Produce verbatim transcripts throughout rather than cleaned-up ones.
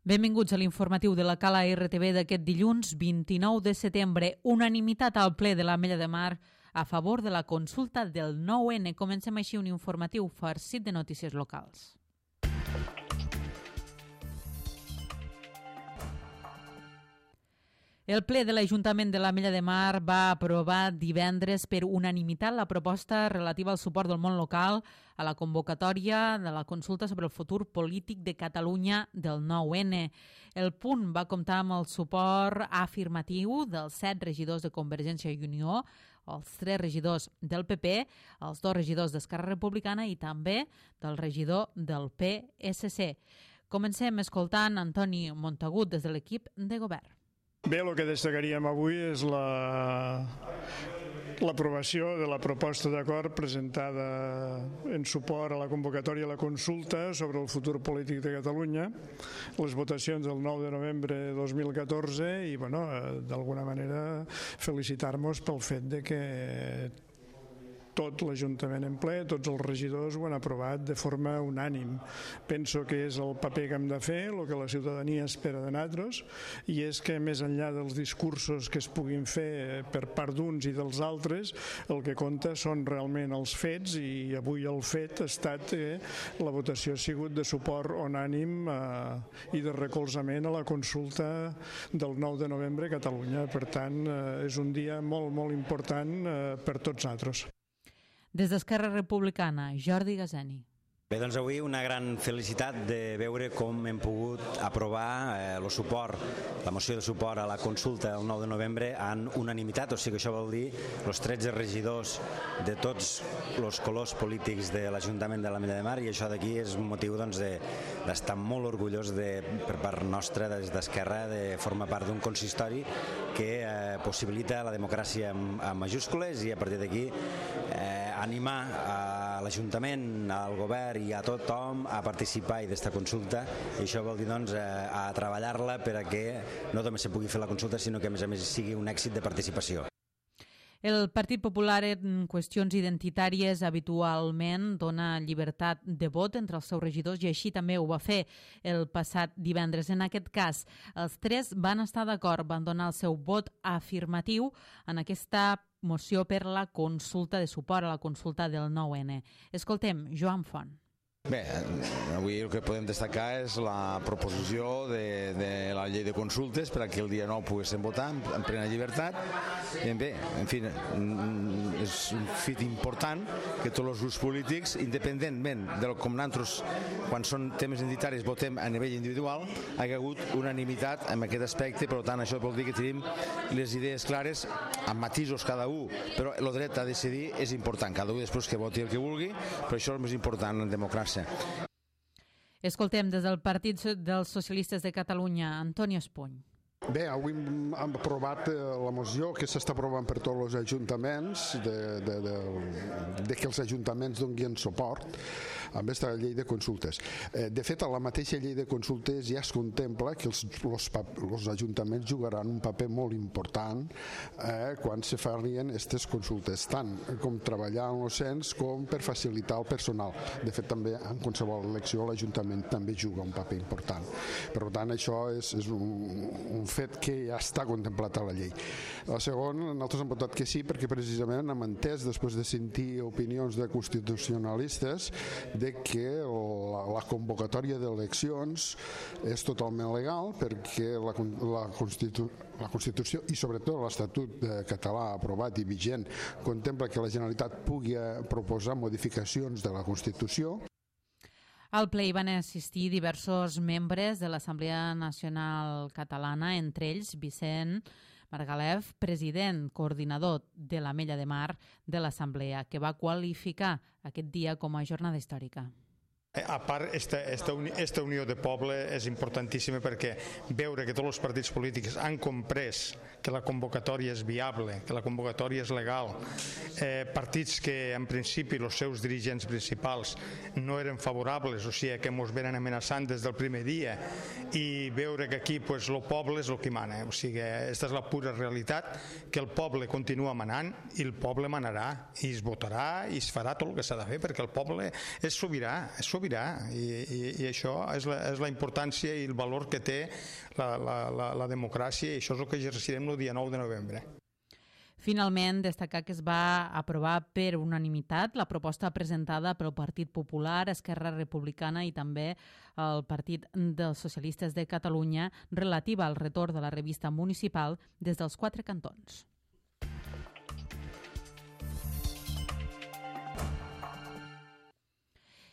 Benvinguts a l'informatiu de la Cala R T V d'aquest dilluns vint-i-nou de setembre. Unanimitat al ple de l'Ametlla de Mar a favor de la consulta del nou ene. Comencem així un informatiu farcit de notícies locals. El ple de l'Ajuntament de l'Ametlla de Mar va aprovar divendres per unanimitat la proposta relativa al suport del món local a la convocatòria de la consulta sobre el futur polític de Catalunya del nou ene. El punt va comptar amb el suport afirmatiu dels set regidors de Convergència i Unió, els tres regidors del P P, els dos regidors d'Esquerra Republicana i també del regidor del P S C. Comencem escoltant Antoni Montagut des de l'equip de govern. Bé, el que destacaríem avui és la l'aprovació de la proposta d'acord presentada en suport a la convocatòria a la consulta sobre el futur polític de Catalunya, les votacions del nou de novembre de dos mil catorze i, bueno, d'alguna manera felicitar-nos pel fet de que tot l'Ajuntament en ple, tots els regidors ho han aprovat de forma unànim. Penso que és el paper que hem de fer, el que la ciutadania espera de nosaltres, i és que més enllà dels discursos que es puguin fer per part d'uns i dels altres, el que compta són realment els fets, i avui el fet ha estat que la votació ha sigut de suport unànim eh, i de recolzament a la consulta del nou de novembre a Catalunya. Per tant, eh, és un dia molt, molt important eh, per tots nosaltres. Des d'Esquerra Republicana, Jordi Gazeni. Bé, doncs avui una gran felicitat de veure com hem pogut aprovar eh, el suport, la moció de suport a la consulta del nou de novembre en unanimitat, o sigui que això vol dir els tretze regidors de tots els colors polítics de l'Ajuntament de l'Ametlla de Mar, i això d'aquí és un motiu doncs, de, d'estar molt orgullós de, per part nostra des d'Esquerra de formar part d'un consistori que eh, possibilita la democràcia en, en majúscules, i a partir d'aquí eh, animar a l'Ajuntament, al govern i a tothom a participar i d'esta consulta, i això vol dir doncs, a treballar-la per a que no només se pugui fer la consulta, sinó que a més a més sigui un èxit de participació. El Partit Popular en qüestions identitàries habitualment dona llibertat de vot entre els seus regidors, i així també ho va fer el passat divendres. En aquest cas, els tres van estar d'acord, van donar el seu vot afirmatiu en aquesta moció per la consulta de suport a la consulta del nou ene. Escoltem Joan Font. Bé, avui el que podem destacar és la proposició de, de la llei de consultes per a que el dia nou poguéssim votar en plena llibertat. I bé, en fi, és un fet important que tots els grups polítics, independentment de com nosaltres, quan són temes identitaris, votem a nivell individual, hi ha hagut unanimitat en aquest aspecte. Per tant, això vol dir que tenim les idees clares, amb matisos cada un, però el dret a decidir és important. Cada un després que voti el que vulgui, però això és el més important en democràcia. Escoltem des del Partit dels Socialistes de Catalunya, Antoni Espuny. Bé, avui hem aprovat la moció que s'està aprovant per tots els ajuntaments de, de, de, de que els ajuntaments donguin suport amb aquesta llei de consultes. De fet, a la mateixa llei de consultes ja es contempla que els, els, els ajuntaments jugaran un paper molt important eh, quan se farien aquestes consultes, tant com treballar en el cens com per facilitar el personal. De fet, també en qualsevol elecció l'Ajuntament també juga un paper important. Per tant, això és, és un, un fet que ja està contemplat a la llei. La segona, nosaltres hem votat que sí perquè precisament hem entès, després de sentir opinions de constitucionalistes, de que la, la convocatòria d'eleccions és totalment legal, perquè la, la, Constitu, la Constitució i sobretot l'Estatut català aprovat i vigent contempla que la Generalitat pugui proposar modificacions de la Constitució. Al ple hi van assistir diversos membres de l'Assemblea Nacional Catalana, entre ells Vicent Margalef, president coordinador de l'Ametlla de Mar de l'Assemblea, que va qualificar aquest dia com a jornada històrica. A part, esta, esta, uni, esta unió de poble és importantíssima perquè veure que tots els partits polítics han comprès que la convocatòria és viable, que la convocatòria és legal, eh, partits que en principi els seus dirigents principals no eren favorables, o sigui que ens venen amenaçant des del primer dia, i veure que aquí pues, el poble és el que mana, o sigui, aquesta és la pura realitat, que el poble continua manant i el poble manarà i es votarà i es farà tot el que s'ha de fer perquè el poble és sobirà, és sobirà sobirà i, i, i això és la, és la importància i el valor que té la, la, la, la democràcia i això és el que exercirem el dia nou de novembre. Finalment, destacar que es va aprovar per unanimitat la proposta presentada pel Partit Popular, Esquerra Republicana i també el Partit dels Socialistes de Catalunya relativa al retorn de la revista municipal des dels quatre cantons.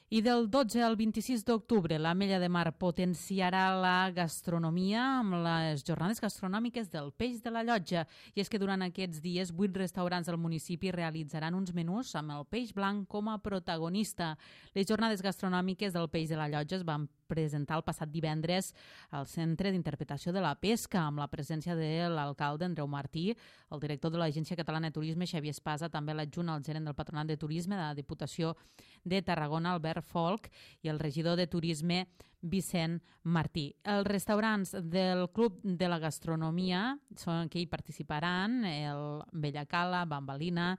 I del dotze al vint-i-sis d'octubre, l'Ametlla de Mar potenciarà la gastronomia amb les jornades gastronòmiques del peix de la Llotja. I és que durant aquests dies, vuit restaurants del municipi realitzaran uns menús amb el peix blanc com a protagonista. Les jornades gastronòmiques del peix de la Llotja es van presentar el passat divendres al Centre d'Interpretació de la Pesca amb la presència de l'alcalde Andreu Martí, el director de l'Agència Catalana de Turisme Xavier Espasa, també l'adjunt al gerent del Patronat de Turisme de la Diputació de Tarragona Albert Folk i el regidor de Turisme Vicent Martí. Els restaurants del Club de la Gastronomia són que hi participaran el Bellacala, Bambalina,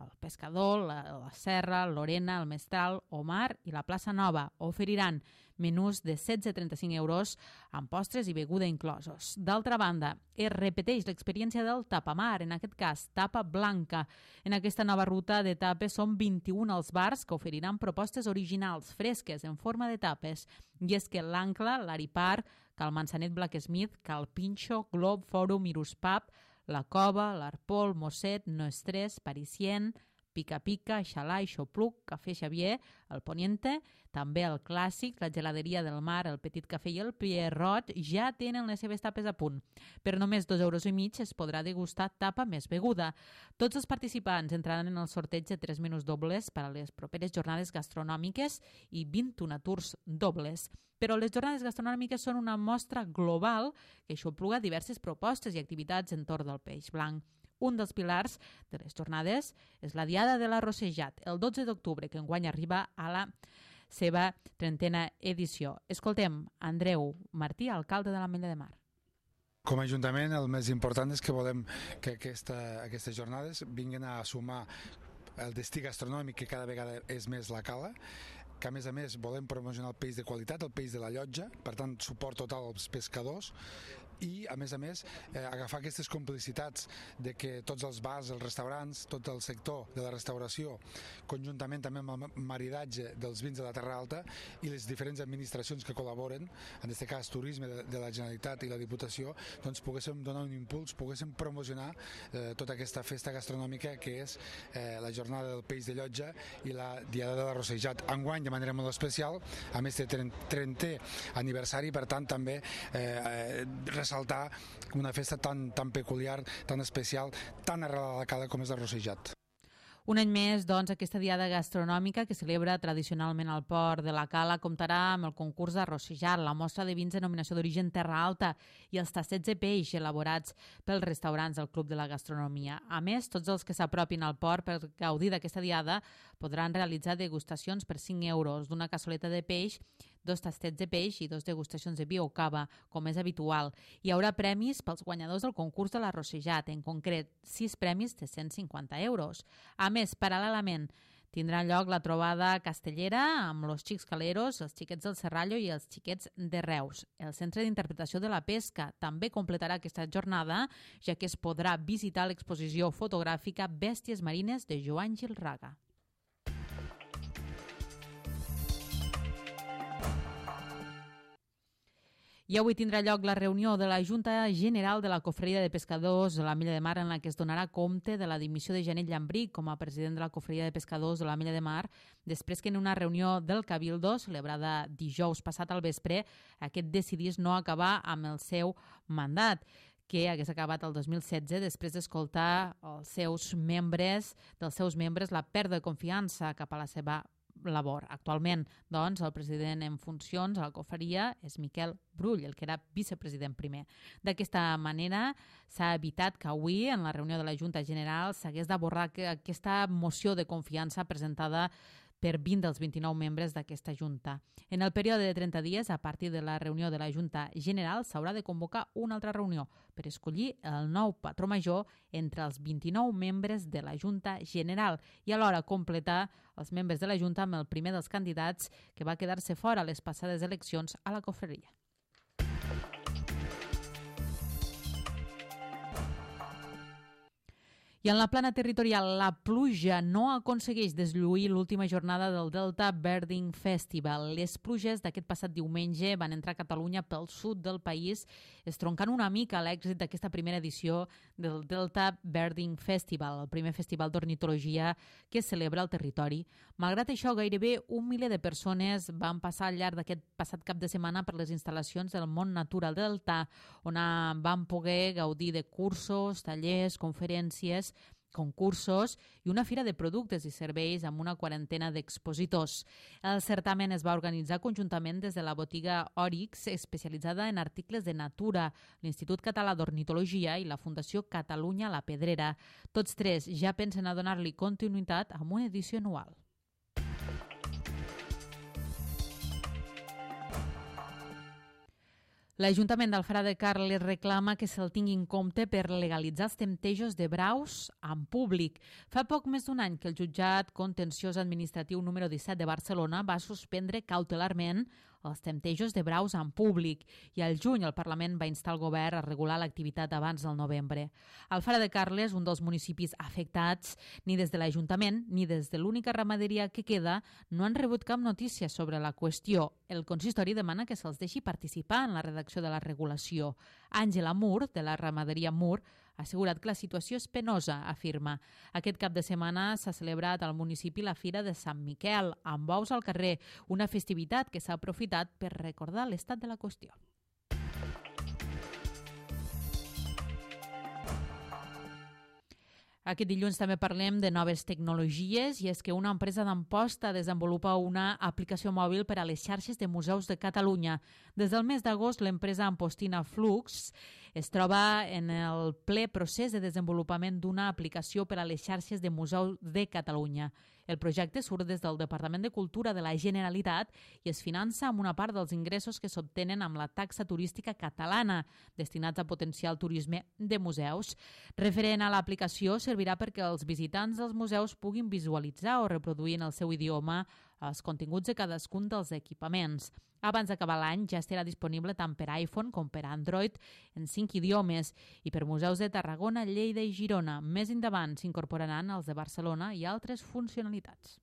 el Pescador, la, la Serra, Lorena, el Mestral, Omar i la Plaça Nova. Oferiran menús de setze a trenta-cinc euros amb postres i beguda inclosos. D'altra banda, es repeteix l'experiència del tapamar, en aquest cas tapa blanca. En aquesta nova ruta de tapes són vint-i-un els bars que oferiran propostes originals, fresques, en forma de tapes. I és que l'Ancla, l'Aripar, Cal Manzanet Blacksmith, Cal Pinxo, Glob, Fòrum, Irus Pub, La Cova, l'Arpol, Mosset, No Estrès, Parisien, Pica Pica, Xalà i Xopluc, Cafè Xavier, el Poniente, també el Clàssic, la Geladeria del Mar, el Petit Cafè i el Pierrot ja tenen les seves tapes a punt. Per només dos euros i mig es podrà degustar tapa més beguda. Tots els participants entraran en el sorteig de tres menús dobles per a les properes jornades gastronòmiques i vint-i-un tours dobles. Però les jornades gastronòmiques són una mostra global que aixopluga diverses propostes i activitats entorn del peix blanc. Un dels pilars de les jornades és la Diada de l'Arrossejat, el dotze d'octubre, que enguany arriba a la seva trentena edició. Escoltem Andreu Martí, alcalde de l'Ametlla de Mar. Com a Ajuntament, el més important és que volem que aquesta, aquestes jornades vinguin a sumar el destí gastronòmic, que cada vegada és més la Cala, que a més a més volem promocionar el peix de qualitat, el peix de la Llotja, per tant suport total als pescadors, i a més a més eh, agafar aquestes complicitats de que tots els bars, els restaurants, tot el sector de la restauració, conjuntament també amb el maridatge dels vins de la Terra Alta i les diferents administracions que col·laboren, en aquest cas Turisme de, de la Generalitat i la Diputació, doncs poguéssim donar un impuls, poguéssim promocionar eh, tota aquesta festa gastronòmica que és eh, la jornada del peix de Llotja i la Diada de l'Arrossejat. Enguany de manera molt especial, a més de trentè aniversari, per tant també eh, eh, saltar una festa tan, tan peculiar, tan especial, tan arrelada a la Cala com és l'Arrossejat. Un any més, doncs, aquesta diada gastronòmica que celebra tradicionalment al port de la Cala comptarà amb el concurs d'Arrossejat, la mostra de vins de denominació d'origen Terra Alta i els tastets de peix elaborats pels restaurants del Club de la Gastronomia. A més, tots els que s'apropin al port per gaudir d'aquesta diada podran realitzar degustacions per cinc euros d'una cassoleta de peix, dos tastets de peix i dos degustacions de vi o cava, com és habitual. Hi haurà premis pels guanyadors del concurs de l'Arrossejat, en concret, sis premis de cent cinquanta euros. A més, paral·lelament, tindrà lloc la trobada castellera amb los xics caleros, els xiquets del Serrallo i els xiquets de Reus. El Centre d'Interpretació de la Pesca també completarà aquesta jornada, ja que es podrà visitar l'exposició fotogràfica Bèsties Marines de Joan Gilraga. I avui tindrà lloc la reunió de la Junta General de la Cofreria de Pescadors de l'Ametlla de Mar, en la que es donarà compte de la dimissió de Janet Llambric com a president de la Cofreria de Pescadors de l'Ametlla de Mar, després que en una reunió del Cabildo, celebrada dijous passat al vespre, aquest decidís no acabar amb el seu mandat, que hagués acabat el dos mil setze després d'escoltar els seus membres, dels seus membres la pèrdua de confiança cap a la seva labor. Actualment, doncs, el president en funcions a la cofreria és Miquel Brull, el que era vicepresident primer. D'aquesta manera, s'ha evitat que avui, en la reunió de la Junta General, s'hagués d'abordar aquesta moció de confiança presentada per vint dels vint-i-nou membres d'aquesta Junta. En el període de trenta dies, a partir de la reunió de la Junta General, s'haurà de convocar una altra reunió per escollir el nou patró major entre els vint-i-nou membres de la Junta General i alhora completar els membres de la Junta amb el primer dels candidats que va quedar-se fora a les passades eleccions a la confraria. I en la plana territorial, la pluja no aconsegueix deslluir l'última jornada del Delta Birding Festival. Les pluges d'aquest passat diumenge van entrar a Catalunya pel sud del país, estroncant una mica l'èxit d'aquesta primera edició del Delta Birding Festival, el primer festival d'ornitologia que es celebra al territori. Malgrat això, gairebé un miler de persones van passar al llarg d'aquest passat cap de setmana per les instal·lacions del món natural delta, on van poder gaudir de cursos, tallers, conferències, concursos i una fira de productes i serveis amb una quarantena d'expositors. El certamen es va organitzar conjuntament des de la botiga Òrix, especialitzada en articles de natura, l'Institut Català d'Ornitologia i la Fundació Catalunya La Pedrera. Tots tres ja pensen a donar-li continuïtat amb una edició anual. L'Ajuntament d'Alfara de Carles reclama que se'l tingui en compte per legalitzar els temptejos de braus en públic. Fa poc més d'un any que el jutjat contenciós administratiu número disset de Barcelona va suspendre cautelarment els temptejos de braus en públic i al juny el Parlament va instar el govern a regular l'activitat abans del novembre. Alfara de Carles, un dels municipis afectats, ni des de l'Ajuntament ni des de l'única ramaderia que queda no han rebut cap notícia sobre la qüestió. El consistori demana que se'ls deixi participar en la redacció de la regulació. Àngela Mur, de la ramaderia Mur, ha assegurat que la situació és penosa, afirma. Aquest cap de setmana s'ha celebrat al municipi la Fira de Sant Miquel, amb bous al carrer, una festivitat que s'ha aprofitat per recordar l'estat de la qüestió. Aquest dilluns també parlem de noves tecnologies i és que una empresa d'Amposta desenvolupa una aplicació mòbil per a les xarxes de museus de Catalunya. Des del mes d'agost, l'empresa ampostina Flux es troba en el ple procés de desenvolupament d'una aplicació per a les xarxes de museus de Catalunya. El projecte surt des del Departament de Cultura de la Generalitat i es finança amb una part dels ingressos que s'obtenen amb la taxa turística catalana, destinats a potenciar el turisme de museus. Referent a l'aplicació, servirà perquè els visitants dels museus puguin visualitzar o reproduir en el seu idioma els continguts de cadascun dels equipaments. Abans d'acabar l'any ja estarà disponible tant per iPhone com per Android en cinc idiomes i per museus de Tarragona, Lleida i Girona. Més endavant s'incorporaran els de Barcelona i altres funcionalitats.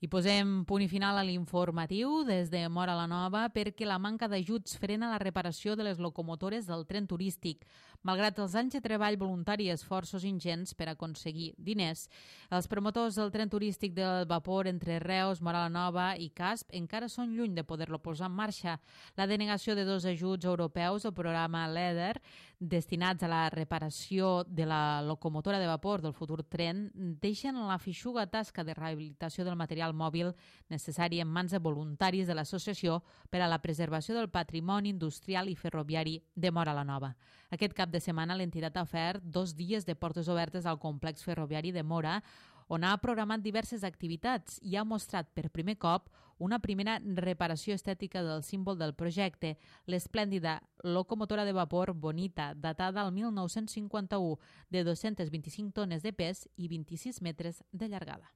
I posem punt i final a l'informatiu des de Móra la Nova perquè la manca d'ajuts frena la reparació de les locomotores del tren turístic. Malgrat els anys de treball voluntari i esforços ingents per aconseguir diners, els promotors del tren turístic del vapor entre Reus, Móra la Nova i Casp encara són lluny de poder-lo posar en marxa. La denegació de dos ajuts europeus al programa LEADER destinats a la reparació de la locomotora de vapor del futur tren deixen la feixuga tasca de rehabilitació del material mòbil necessari en mans de voluntaris de l'Associació per a la Preservació del Patrimoni Industrial i Ferroviari de Móra la Nova. Aquest cap de setmana l'entitat ha ofert dos dies de portes obertes al complex ferroviari de Móra, on ha programat diverses activitats i ha mostrat per primer cop una primera reparació estètica del símbol del projecte, l'esplèndida locomotora de vapor Bonita, datada al mil nou-cents cinquanta-u, de dos-centes vint-i-cinc tones de pes i vint-i-sis metres de llargada.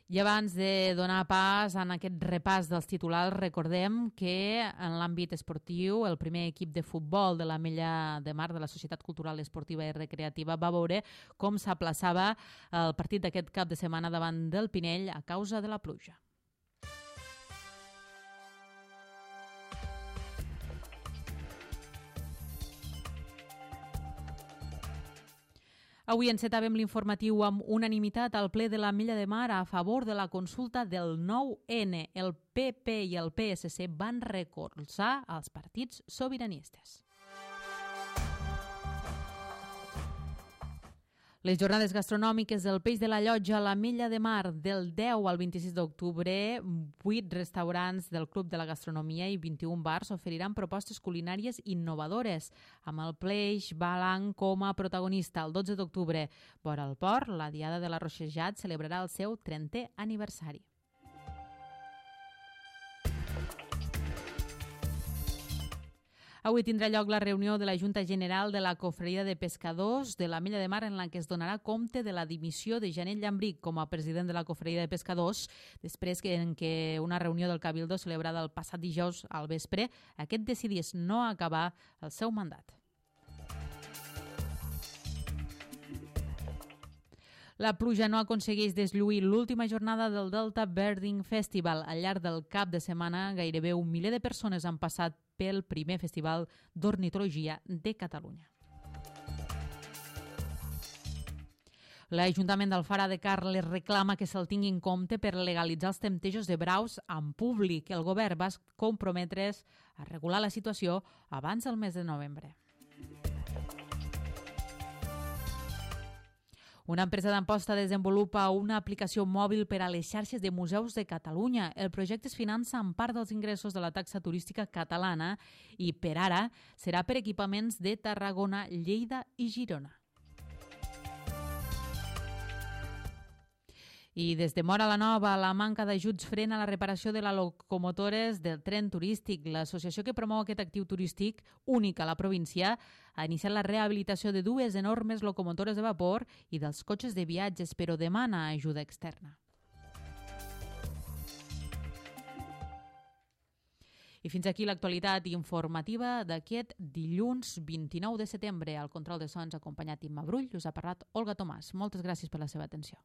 I abans de donar pas en aquest repàs dels titulars, recordem que en l'àmbit esportiu el primer equip de futbol de l'Ametlla de Mar de la Societat Cultural Esportiva i Recreativa va veure com s'aplaçava el partit d'aquest cap de setmana davant del Pinell a causa de la pluja. Avui encetàvem l'informatiu amb unanimitat al ple de l'Ametlla de Mar a favor de la consulta del nou ene. El pe pe i el pe esse ce van recolzar els partits sobiranistes. Les jornades gastronòmiques del Peix de la Llotja a la Mella de Mar del deu al vint-i-sis d'octubre, vuit restaurants del Club de la Gastronomia i vint-i-un bars oferiran propostes culinàries innovadores, amb el peix blanc com a protagonista. El dotze d'octubre, vora el port, la Diada de la Roxejat celebrarà el seu trentè aniversari. Avui tindrà lloc la reunió de la Junta General de la Cofreria de Pescadors de la Mella de Mar, en la que es donarà compte de la dimissió de Janel Llambric com a president de la Cofreria de Pescadors, després que en què una reunió del Cabildo celebrada el passat dijous al vespre, aquest decidís no acabar el seu mandat. La pluja no aconsegueix deslluir l'última jornada del Delta Birding Festival. Al llarg del cap de setmana, gairebé un miler de persones han passat pel primer festival d'ornitologia de Catalunya. L'Ajuntament d'Alfara de Carles reclama que se'l tingui en compte per legalitzar els temptejos de braus en públic. El govern va comprometre's a regular la situació abans del mes de novembre. Una empresa d'Amposta desenvolupa una aplicació mòbil per a les xarxes de museus de Catalunya. El projecte es finança amb part dels ingressos de la taxa turística catalana i, per ara, serà per equipaments de Tarragona, Lleida i Girona. I des de Móra la Nova, la manca d'ajuts frena la reparació de les locomotores del tren turístic. L'associació que promou aquest actiu turístic, únic a la província, ha iniciat la rehabilitació de dues enormes locomotores de vapor i dels cotxes de viatges, però demana ajuda externa. I fins aquí l'actualitat informativa d'aquest dilluns vint-i-nou de setembre. Al control de sons, acompanyat d'Imma Brull, us ha parlat Olga Tomàs. Moltes gràcies per la seva atenció.